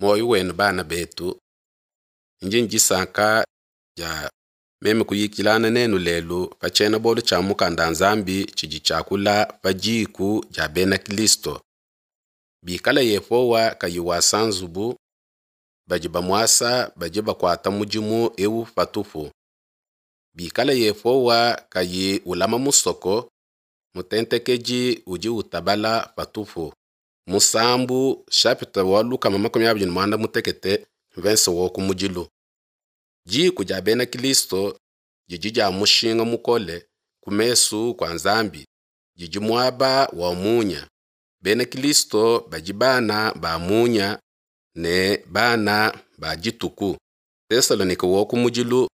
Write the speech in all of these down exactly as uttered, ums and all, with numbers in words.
Muoyo wenu bana betu, ndi ne disanka dia meme kuyikilana nenu lelu pa tshiena-bualu tshia mukanda Nzambi tshidi tshiakula pa diku dia bena Kristo. Bikala Yehowa kayi wasa nzubu, badi bamuasa badi bakuata mudimu eu patupu. Bikala Yehowa kayi ulama musoko, mutentekedi udi utabala patupu. Musambu chapitre wa lukama makumi abidi ne muanda mutekete mvense wa kumudilu. Diku dia bena Kristo didi dia mushinga mukole ku mesu kua Nzambi, didi muaba wa munya. Bena Kristo badi bana ba munya ne bana ba dituku. Tesalonike wa kumudilu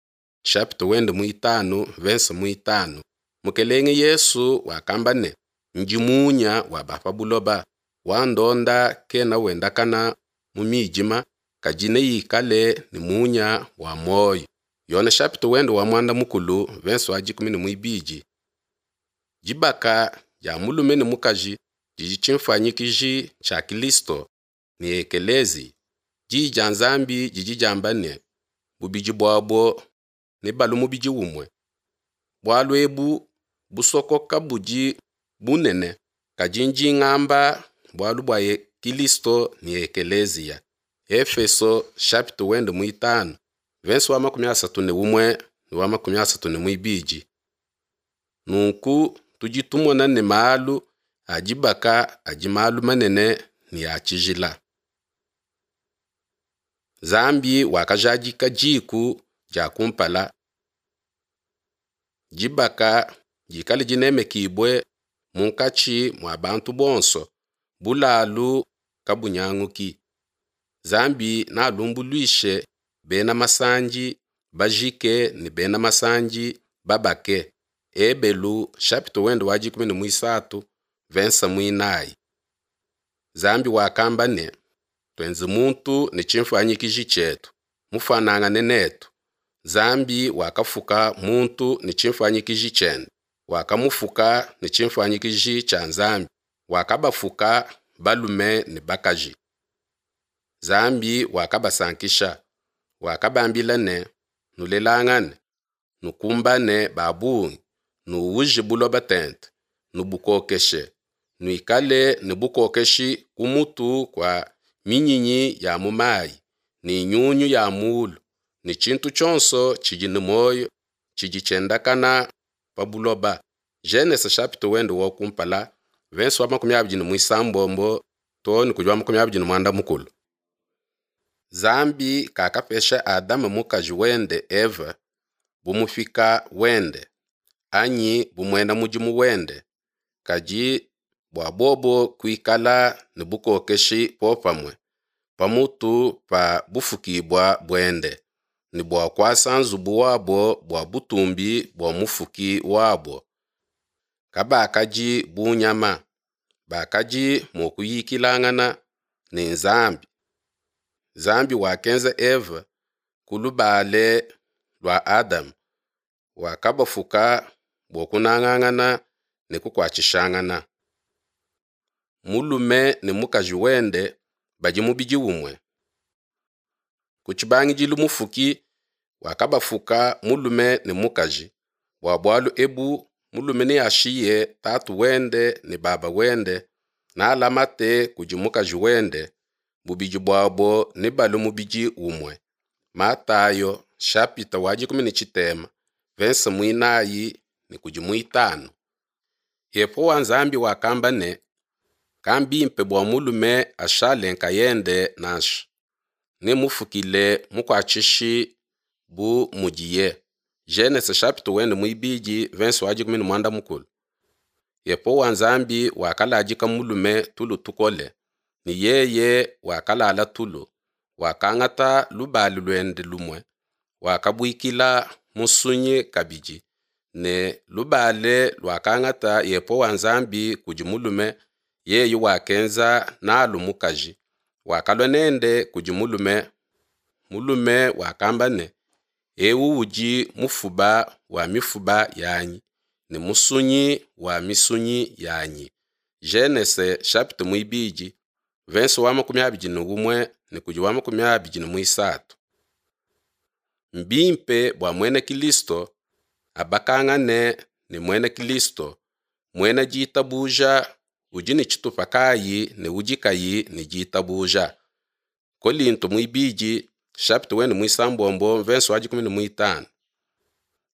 chapitre wende muitanu mvense muitanu. Mukelenge Yesu wakamba ne, ndi munya wa ba pa buloba, wandonda kena wendakana mu midima, kadi neikale ne munya wa muoyo. Yone chapitre wende wa muanda mukulu mvense wa dikumi ne muibidi. Dibaka dia mulume ne mukaji didi tshimfuanyikiji tshia Kristo ne Ekelezi. Diyi dia Nzambi didi diamba ne, bubidi buabo nebalue mubidi umue. Bualu ebu busokoka budi bunene, kadi ndi ngamba bualu bua Kristo ne Ekeleziya. Efeso chapitre wende muitanu verse wa makumi asatu ne umue ne wa makumi asatu ne muibidi. Nunku tudi tumona ne malu a dibaka adi malu manene ne a tshijila. Nzambi wakajadika diku dia kumpala. Dibaka dikale dinemekibue munkatshi mua bantu bonso, bulalu kabunyanguki. Nzambi nalumbuluishe bena masandi bajike ne bena masandi babake. Ebelu chapitre wende wa dikumi ne muisatu verse muinayi. Nzambi wakamba ne, tuenze muntu ne tshimfuanyikiji tshietu, mufuanangane netu. Nzambi wakafuka muntu ne tshimfuanyikiji tshiende, wakamufuka ne tshimfuanyikiji tshia Nzambi, wakabafuka balume ne bakaji. Nzambi wakabasankisha, wakabambila ne, nulelangane, nukumbane ba bungi, nuuje buloba tente, nubukokeshe, nuikale ne bukokeshi ku mutu kua minyinyi ya mu mayi, ne nyunyu ya mulu, ne tshintu tshionso tshidi ne muoyo tshidi tshiendakana pa buloba. Genese chapitre wende wa kumpala verse wa makumi abidi ne muisambombo too ne kudi wa makumi abidi ne muanda mukulu. Nzambi kakapesha Adama mukaji wende Eva bu mupika wende anyi bu muena mudimu wende, kadi bua bobo kuikala ne bukokeshi popamue pamutu pa bufukibua buende, ne bua kuasa nzubu wabo bua butumbi bua mufuki wabo. Kabakadi bu nyama, bakadi mua kuyikilangana ne Nzambi. Nzambi wakenza Eva ku lubale lua Adama, wakabafuka bua kunangangana ne kukuatshishangana. Mulume ne mukaji wende badi mubidi umue. Ku tshibangidilu mufuki wakabafuka mulume ne mukaji. Bua bualu ebu mulume neashiye tatu wende ne baba wende, nalamate kudi mukaji wende, bubidi buabo nebalue mubidi umue. Matayo chapitre wa dikumi ne tshitema verse muinayi ne kudi muitanu. Yehowa Nzambi wakamba ne, kambimpe bua mulume ashale nkayende nansha, nemufukile mukuatshishi bu mudiye. Genese chapitre wende muibidi verse wa dikumi ne muanda mukulu. Yehowa Nzambi wakaladika mulume tulu tukole, ne yeye wakalala tulu, wakangata lubali luende lumue, wakabuikila musunyi kabidi, ne lubale luakangata Yehowa Nzambi kudi mulume, yeye wakenza nalu mukaji, wakalua nende kudi mulume. Mulume wakamba ne, eu udi mufuba wa mifuba yanyi ne musunyi wa misunyi yanyi. Genese chapitre muibidi Verse wa makumi abidi ne umue ne kudi wa makumi abidi ne muisatu. Mbimpe bua muena Kilisto abakangane ne muena Kilisto, muena ditabuja udi ne tshitupa kayi ne udi kayi ne ditabuja. Kolinto muibidi chapitre wende muisambombo verse wa dikumi ne muitanu.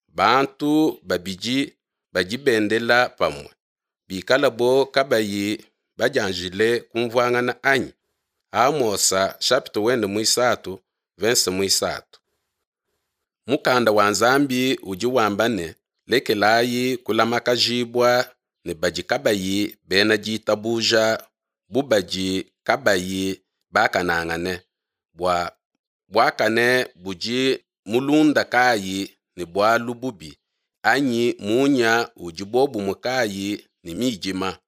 Bantu babidi badi bendela pamue bikalabo kabayi badianjile kumvuangana anyi? Amosa chapitre wende muisatu verse muisatu. Mukanda wa Nzambi udi wamba ne, lekelayi kulamakajibua ne badi kabayi bena ditabuja bu badi kabayi bakanangane, bua buakane budi mulunda kayi ne bualu bubi, anyi munya udi bobumue kayi ne midima.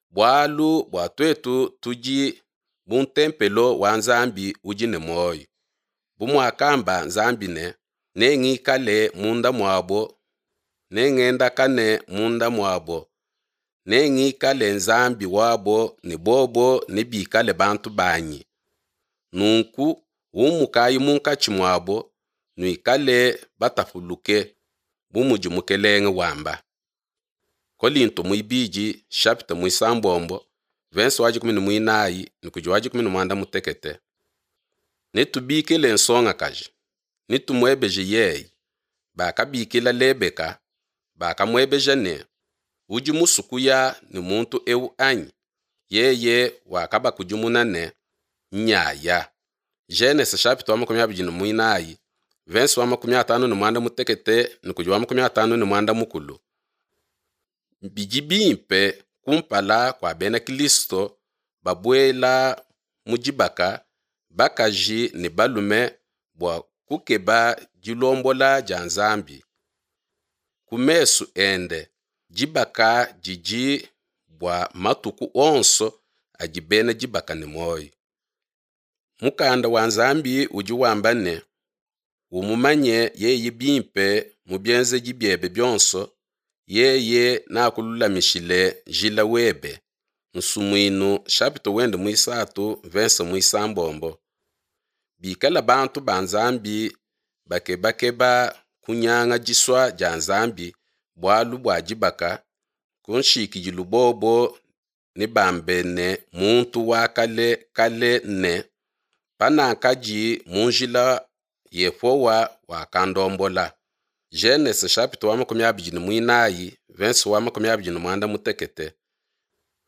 Bualu bua tuetu tudi bu ntempelo wa Nzambi udi ne muoyo. Bu muakamba Nzambi ne, nengikale munda muabo, nengendakane munda muabo, nengikale Nzambi wabo ne bobo nebikale bantu banyi. Nunku umukayi munkatshi muabo, nuikale batapuluke, bu mudi Mukelenge wamba. Kolinto muibidi chapitre muisambombo verse wa dikumi ne muinayi ne kudi wa dikumi ne muanda mutekete. Netubikile nsongakaji, netumuebeje yeye. Bakabikila Lebeka, bakamuebeja ne, udi musue kuya ne muntu ewu anyi? Yeye wakabakudimuna ne, nyaya. Genese chapitre wa makumi abidi ne muinayi verse wa makumi atanu ne muanda mutekete ne kudi wa makumi atanu ne muanda mukulu. Bidi bimpe kumpala kua bena Kilisto babuela mu dibaka bakaji ne balume bua kukeba dilombola dia Nzambi. Ku mesu ende dibaka didi bua matuku onso adi bena dibaka ne muoyo. Mukanda wa Nzambi udi wamba ne, umumanye yeye bimpe mu bienzedi biebe bionso, yeye nakululamishile njila webe. Nsumuinu chapitre wende muisatu verse muisambombo. Bikala bantu ba Nzambi bakebakeba kunyanga disua dia Nzambi bualu bua dibaka, ku nshikidilu bobo nebambe ne muntu wa kale kale ne, panakadi mu njila Yehowa wakandombola. Genese chapitre wa makumi abidi ne muinayi verse wa makumi abidi ne muanda mutekete.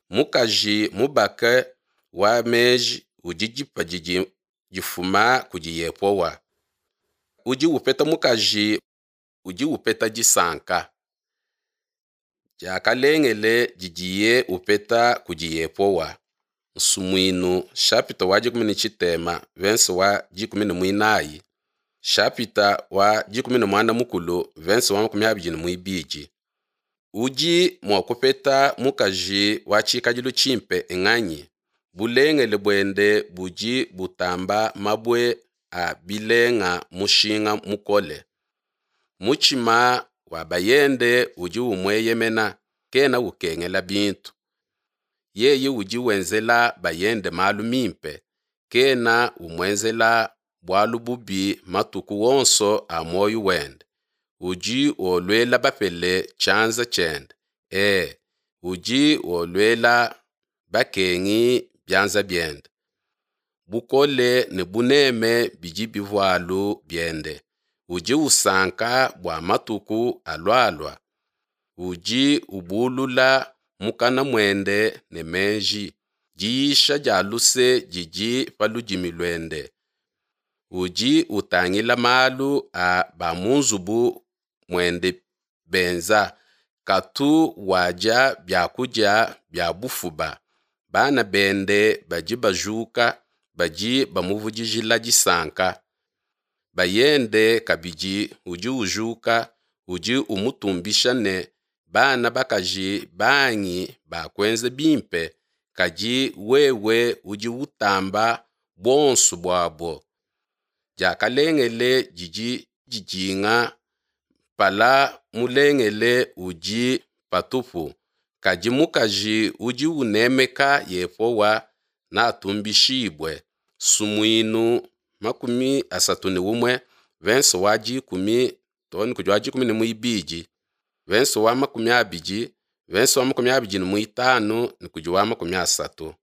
Mukaji mubake wa meji udi dipa didi difuma kudi Yehowa. Udi upeta mukaji udi upeta disanka. Diakalengele didiye upeta kudi Yehowa. Nsumuinu chapitre wa dikumi ne tshitema verse wa dikumi ne muinayi chapitre wa dikumi ne muanda mukulu verse wa makumi abidi ne muibidi. Udi mua kupeta mukaji wa tshikadilu tshimpe nganyi? Bulengele buende budi butamba mabue a bilenga mushinga mukole. Mutshima wa bayende udi umueyemena, kena ukengela bintu. Yeye udi wenzela bayende malu mimpe, kena umuenzela bualu bubi matuku wonso a muoyo wende. Udi woluela bapele tshianza tshiende, e, udi woluela bakengi bianza biende. Bukole ne buneme bidi bivualu biende. Udi usanka bua matuku alualua. Udi ubulula mukana muende ne meji. Diisha dia luse didi pa ludimi luende. Udi utangila malu a ba mu nzubu muende benza, katu wadia biakudia bia bufuba. Bana bende badi bajuka, badi bamuvudijila disanka. Bayende kabidi udi ujuka, udi umutumbisha ne, bana bakaji bangi bakuenza bimpe, kadi wewe udi utamba buonso buabo. Diakalengele didi didinga mpala mulengele udi patupu, kadi mukaji udi unemeka Yehowa natumbishibue. Sumuinu makumi asatu ne umue venso wa dikumi too ne kudi wa dikumi ne muibidi venso wa makumi abidi venso wa makumi abidi ne muitanu ne kudi wa makumi asatu.